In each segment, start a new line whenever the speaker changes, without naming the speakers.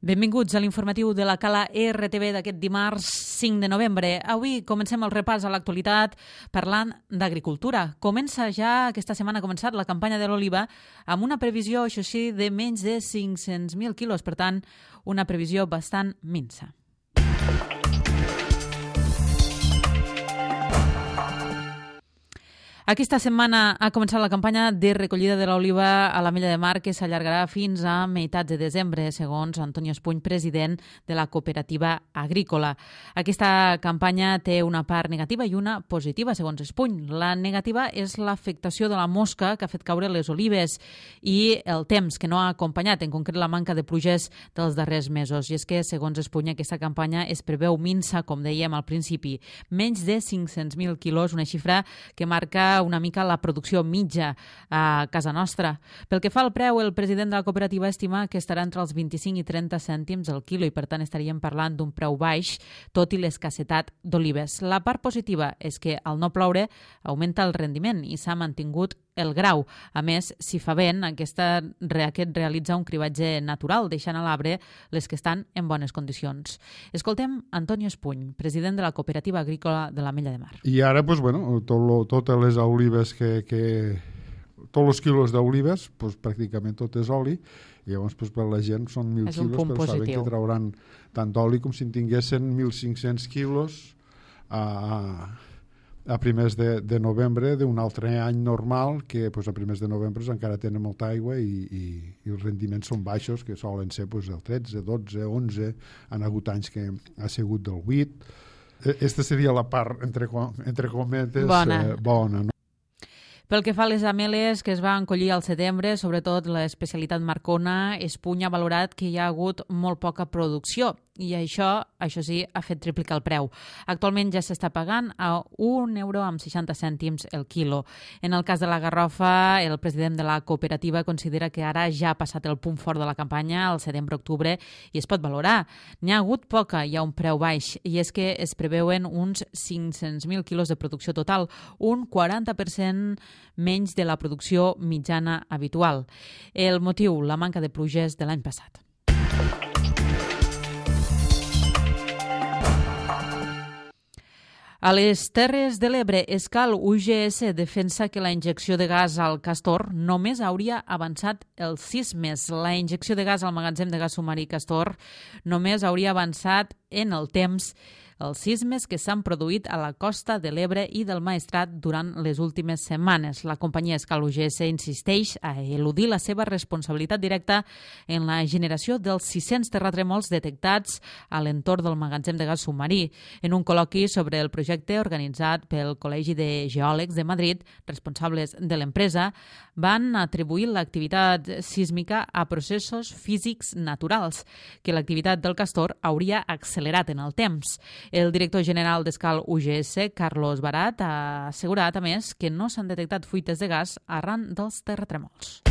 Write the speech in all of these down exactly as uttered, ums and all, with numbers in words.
Benvinguts a l'informatiu de la Cala R T V d'aquest dimarts cinc de novembre. Avui comencem el repàs a l'actualitat parlant d'agricultura. Comença ja, aquesta setmana ha començat la campanya de l'oliva amb una previsió, això sí, de menys de cinc-cents mil quilos, per tant, una previsió bastant minsa. Aquesta setmana ha començat la campanya de recollida de l'oliva a l'Ametlla de Mar, que s'allargarà fins a meitats de desembre, segons Antonio Espuny, president de la cooperativa agrícola. Aquesta campanya té una part negativa i una positiva, segons Espuny. La negativa és l'afectació de la mosca que ha fet caure les olives i el temps que no ha acompanyat, en concret la manca de pluges dels darrers mesos. I és que, segons Espuny, aquesta campanya es preveu minsa, com dèiem al principi, menys de cinc-cents mil quilos, una xifra que marca una mica la producció mitja a casa nostra. Pel que fa al preu, el president de la cooperativa estima que estarà entre els vint-i-cinc i trenta cèntims al quilo i, per tant, estaríem parlant d'un preu baix, tot i l'escassetat d'olives. La part positiva és que, al no ploure, augmenta el rendiment i s'ha mantingut el grau. A més, si fa vent, aquesta, aquest realitza un cribatge natural, deixant a l'arbre les que estan en bones condicions. Escoltem Antonio Espuny, president de la cooperativa agrícola de l'Ametlla de Mar.
I ara, pues, bueno, tot lo, totes les olives que... que... tots els quilos d'olives, pues, pràcticament tot és oli, i llavors pues, per la gent són mil quilos, però
positiu.
saben que trauran tant d'oli com si en tinguessin mil cinc-cents quilos a... a primers de, de novembre d'un altre any normal, que pues, a primers de novembre encara tenen molta aigua i, i, i els rendiments són baixos, que solen ser pues, el tretze, dotze, onze, han hagut anys que ha sigut del vuit. Aquesta seria la part, entre, entre cometes,
bona.
Eh, bona, no?
Pel que fa a les ameles que es van collir al setembre, sobretot l'especialitat Marcona, Espuny ha valorat que hi ha hagut molt poca producció i això, això sí, ha fet triplicar el preu. Actualment ja s'està pagant a un euro amb seixanta cèntims el quilo. En el cas de la garrofa, el president de la cooperativa considera que ara ja ha passat el punt fort de la campanya, al setembre-octubre, i es pot valorar. N'hi ha hagut poca i a un preu baix, i és que es preveuen uns cinc-cents mil quilos de producció total, un quaranta per cent menys de la producció mitjana habitual. El motiu, la manca de pluges de l'any passat. A les Terres de l'Ebre, Escal U G S defensa que la injecció de gas al Castor només hauria avançat els sismes. La injecció de gas al magatzem de gas submarí Castor només hauria avançat en el temps els sismes que s'han produït a la costa de l'Ebre i del Maestrat durant les últimes setmanes. La companyia Escal U G S insisteix a eludir la seva responsabilitat directa en la generació dels sis-cents terratrèmols detectats a l'entorn del magatzem de gas submarí. En un col·loqui sobre el projecte organitzat pel Col·legi de Geòlegs de Madrid, responsables de l'empresa van atribuir l'activitat sísmica a processos físics naturals, que l'activitat del Castor hauria accelerat en el temps. El director general d'Escal U G S, Carlos Barat, ha assegurat, a més, que no s'han detectat fuites de gas arran dels terratrèmols.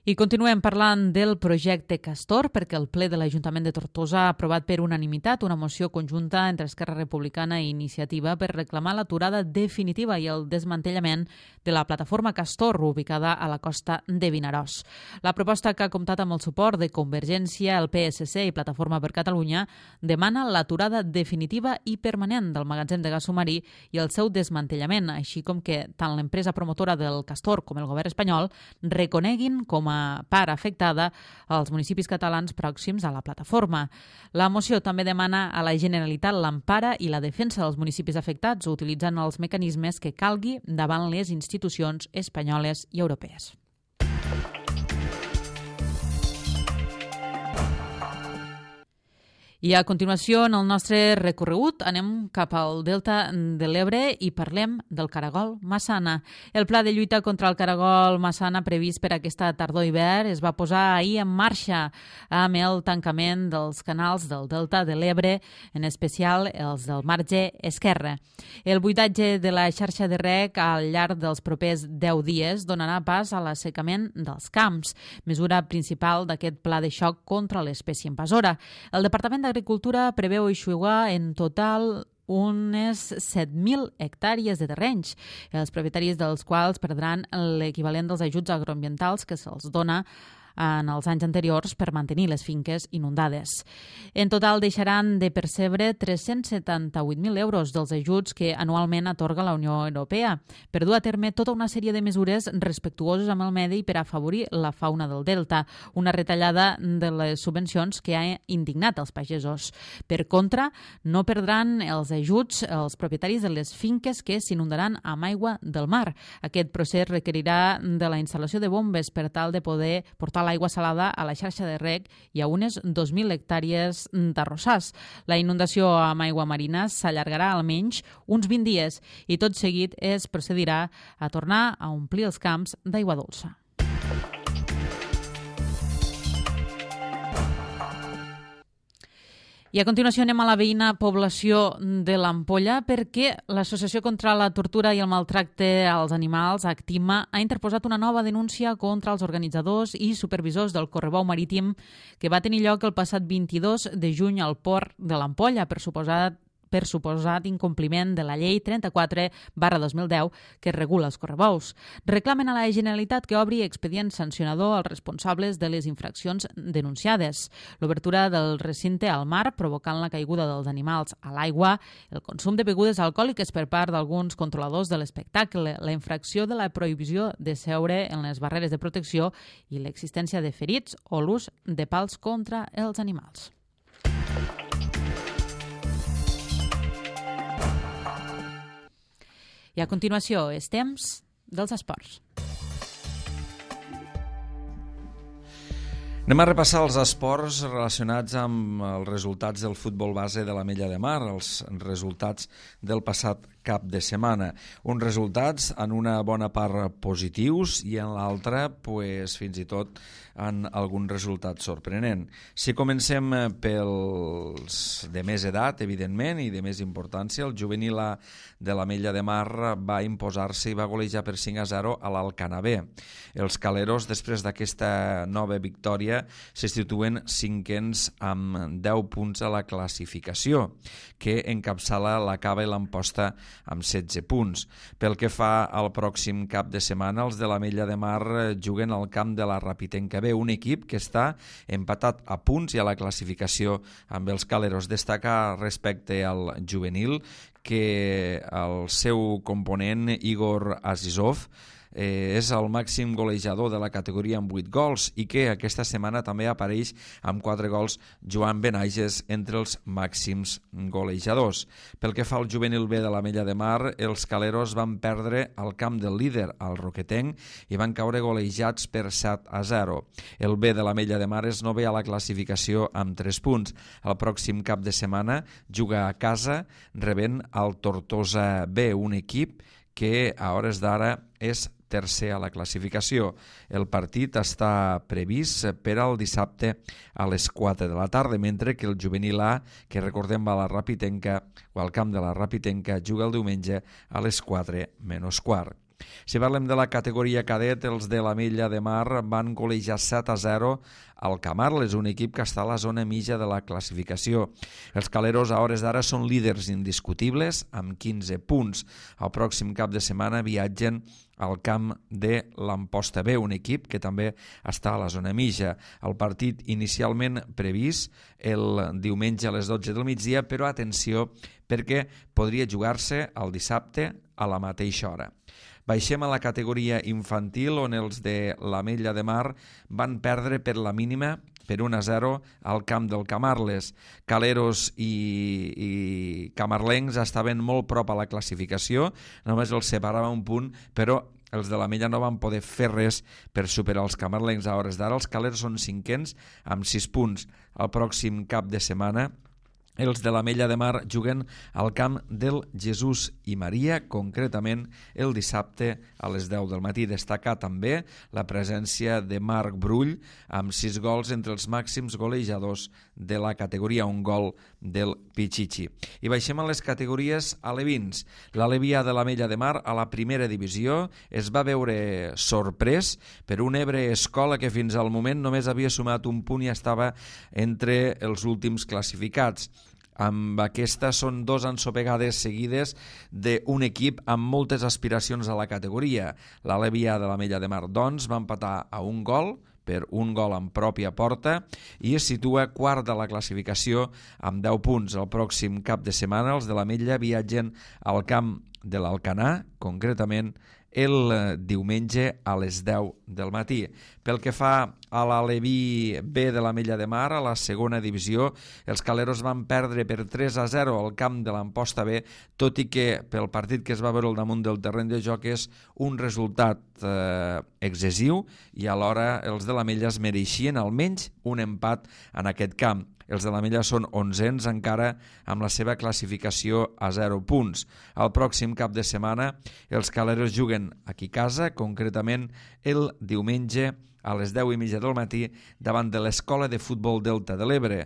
I continuem parlant del projecte Castor, perquè el ple de l'Ajuntament de Tortosa ha aprovat per unanimitat una moció conjunta entre Esquerra Republicana i Iniciativa per reclamar l'aturada definitiva i el desmantellament de la plataforma Castor, ubicada a la costa de Vinaròs. La proposta, que ha comptat amb el suport de Convergència, el P S C i Plataforma per Catalunya, demana l'aturada definitiva i permanent del magatzem de gas submarí i el seu desmantellament, així com que tant l'empresa promotora del Castor com el govern espanyol reconeguin com a part afectada als municipis catalans pròxims a la plataforma. La moció també demana a la Generalitat l'empara i la defensa dels municipis afectats utilitzant els mecanismes que calgui davant les institucions espanyoles i europees. I a continuació, en el nostre recorregut, anem cap al Delta de l'Ebre i parlem del caragol massana. El pla de lluita contra el caragol massana previst per aquesta tardor-hivern es va posar ahir en marxa amb el tancament dels canals del Delta de l'Ebre, en especial els del marge esquerre. El buidatge de la xarxa de reg al llarg dels propers deu dies donarà pas a l'assecament dels camps, mesura principal d'aquest pla de xoc contra l'espècie invasora. El Departament d'Agricultura preveu eixugar en total unes set mil hectàrees de terrenys, els propietaris dels quals perdran l'equivalent dels ajuts agroambientals que se'ls dona en els anys anteriors per mantenir les finques inundades. En total deixaran de percebre tres-cents setanta-vuit mil euros dels ajuts que anualment atorga la Unió Europea per dur a terme tota una sèrie de mesures respectuoses amb el medi per afavorir la fauna del delta, una retallada de les subvencions que ha indignat els pagesos. Per contra, no perdran els ajuts els propietaris de les finques que s'inundaran amb aigua del mar. Aquest procés requerirà de la instal·lació de bombes per tal de poder portar l'aigua salada a la xarxa de reg i a unes dos mil hectàrees d'arrossars. La inundació amb aigua marina s'allargarà almenys uns vint dies i tot seguit es procedirà a tornar a omplir els camps d'aigua dolça. I a continuació anem a la veïna població de l'Ampolla perquè l'Associació contra la Tortura i el Maltracte als Animals, Actima, ha interposat una nova denúncia contra els organitzadors i supervisors del correbou marítim que va tenir lloc el passat vint-i-dos de juny al port de l'Ampolla per suposat per suposat incompliment de la llei trenta-quatre barra dos mil deu que regula els correbous. Reclamen a la Generalitat que obri expedient sancionador als responsables de les infraccions denunciades. L'obertura del recinte al mar provocant la caiguda dels animals a l'aigua, el consum de begudes alcohòliques per part d'alguns controladors de l'espectacle, la infracció de la prohibició de seure en les barreres de protecció i l'existència de ferits o l'ús de pals contra els animals. I a continuació és temps dels esports.
Anem a repassar els esports relacionats amb els resultats del futbol base de l'Ametlla de Mar, els resultats del passat cap de setmana. Uns resultats en una bona part positius i en l'altra pues, fins i tot en algun resultat sorprenent. Si comencem pels de més edat, evidentment, i de més importància, el juvenil A de l'Ametlla de Mar va imposar-se i va golejar per cinc a zero a l'Alcanar B. Els caleros, després d'aquesta nova victòria, se situen cinquens amb deu punts a la classificació, que encapçala la Cava i l'Amposta amb setze punts. Pel que fa al pròxim cap de setmana, els de l'Ametlla de Mar juguen al camp de la Rapitenca B, un equip que està empatat a punts i a la classificació amb els caleros. Destaca respecte al juvenil que el seu component, Igor Azizov, Eh, és el màxim golejador de la categoria amb vuit gols i que aquesta setmana també apareix amb quatre gols Joan Benages entre els màxims golejadors. Pel que fa al juvenil B de l'Ametlla de Mar, els caleros van perdre al camp del líder, al Roquetenc, i van caure golejats per set a zero. El B de l'Ametlla de Mar és novè a la classificació amb tres punts. El pròxim cap de setmana juga a casa rebent el Tortosa B, un equip que a hores d'ara és tercer a la classificació. El partit està previst per al dissabte a les quatre de la tarda, mentre que el juvenil A, que recordem va a la Rapitenca o al camp de la Rapitenca, juga el diumenge a les quatre menys quart. Si parlem de la categoria cadet, els de l'Ametlla de Mar van golejar set a zero al Camarles, un equip que està a la zona mitja de la classificació. Els caleros a hores d'ara són líders indiscutibles amb quinze punts. El pròxim cap de setmana viatgen al camp de l'Amposta B, un equip que també està a la zona mitja. El partit inicialment previst el diumenge a les dotze del migdia, però atenció perquè podria jugar-se el dissabte a la mateixa hora. Baixem a la categoria infantil, on els de l'Ametlla de Mar van perdre per la mínima per un a zero al camp del Camarles. Caleros i, i camarlencs estaven molt prop a la classificació, només els separava un punt, però els de l'Ametlla no van poder fer res per superar els camarlencs a hores d'ara. Els caleros són cinquens amb sis punts. El pròxim cap de setmana els de l'Ametlla de Mar juguen al camp del Jesús i Maria, concretament el dissabte a les deu del matí. Destacar també la presència de Marc Brull amb sis gols entre els màxims golejadors de la categoria, un gol del Pichichi. I baixem a les categories alevins. L'Alevià de l'Ametlla de Mar a la primera divisió es va veure sorprès per un Ebre Escola que fins al moment només havia sumat un punt i estava entre els últims classificats. Amb aquesta són dos ensopegades seguides d'un equip amb moltes aspiracions a la categoria. L'Alevi A de l'Ametlla de Mar, doncs, va empatar a un gol, per un gol en pròpia porta, i es situa quart de la classificació amb deu punts. El pròxim cap de setmana els de l'Ametlla viatgen al camp de l'Alcanar, concretament el diumenge a les deu del matí. Pel que fa a l'Alevi B de l'Ametlla de Mar, a la segona divisió, els caleros van perdre per tres a zero al camp de l'Amposta B, tot i que pel partit que es va veure al damunt del terreny de joc és un resultat eh, excessiu, i alhora els de l'Ametlla es mereixien almenys un empat en aquest camp. Els de l'Ametlla són onzens encara amb la seva classificació a zero punts. El pròxim cap de setmana els caleros juguen aquí a casa, concretament el diumenge a les deu i mitja del matí davant de l'Escola de Futbol Delta de l'Ebre,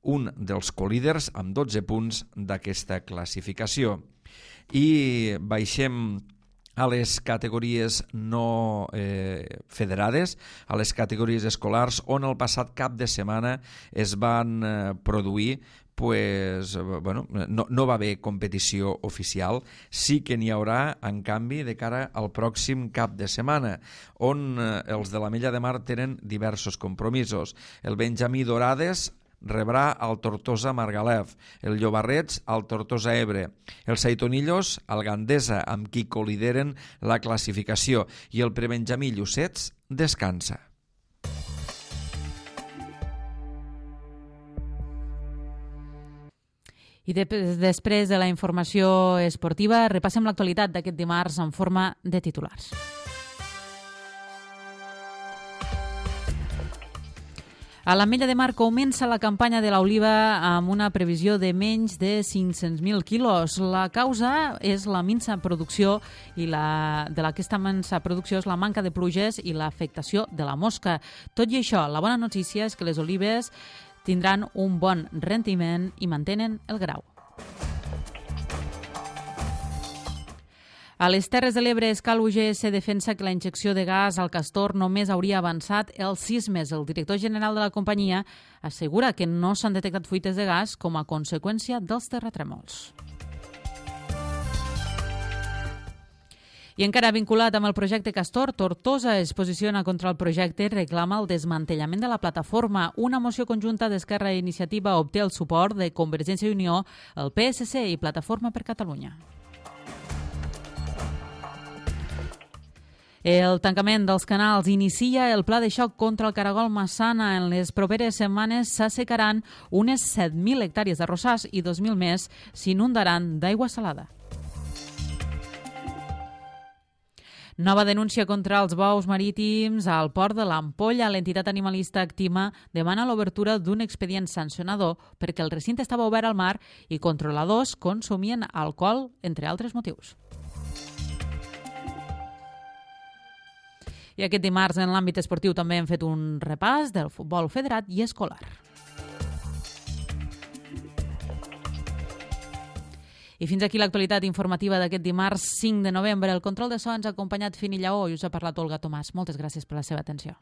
un dels colíders amb dotze punts d'aquesta classificació. I baixem a les categories no eh, federades, a les categories escolars, on el passat cap de setmana es van eh, produir pues, bueno, no, no va haver competició oficial. Sí que n'hi haurà, en canvi, de cara al pròxim cap de setmana, on eh, els de l'Ametlla de Mar tenen diversos compromisos. El Benjamí Dorades rebrà el Tortosa Margalef, el Llobarrets al Tortosa Ebre, el Saitonillos al Gandesa, amb qui colideren la classificació, i el Prebenjamí Llucets descansa.
I de, després de la informació esportiva, repassem l'actualitat d'aquest dimarts en forma de titulars. A l'Ametlla de Mar comença la campanya de l'oliva amb una previsió de menys de cinc-cents mil quilos. La causa és la minsa producció i la, de aquesta minsa producció és la manca de pluges i l'afectació de la mosca. Tot i això, la bona notícia és que les olives tindran un bon rendiment i mantenen el grau. A les Terres de l'Ebre, Escal U G S defensa que la injecció de gas al castor només hauria avançat els sismes. El director general de la companyia assegura que no s'han detectat fuites de gas com a conseqüència dels terratrèmols. I encara vinculat amb el projecte Castor, Tortosa es posiciona contra el projecte i reclama el desmantellament de la plataforma. Una moció conjunta d'Esquerra i Iniciativa obté el suport de Convergència i Unió, el P S C i Plataforma per Catalunya. El tancament dels canals inicia el pla de xoc contra el caragol Massana. En les properes setmanes s'assecaran unes set mil hectàrees d'arrossars i dos mil més s'inundaran d'aigua salada. Nova denúncia contra els bous marítims al port de l'Ampolla. L'entitat animalista Actima demana l'obertura d'un expedient sancionador perquè el recinte estava obert al mar i controladors consumien alcohol, entre altres motius. I aquest dimarts en l'àmbit esportiu també hem fet un repàs del futbol federat i escolar. I fins aquí l'actualitat informativa d'aquest dimarts cinc de novembre. El control de so ens ha acompanyat Fini Lleó i us ha parlat Olga Tomàs. Moltes gràcies per la seva atenció.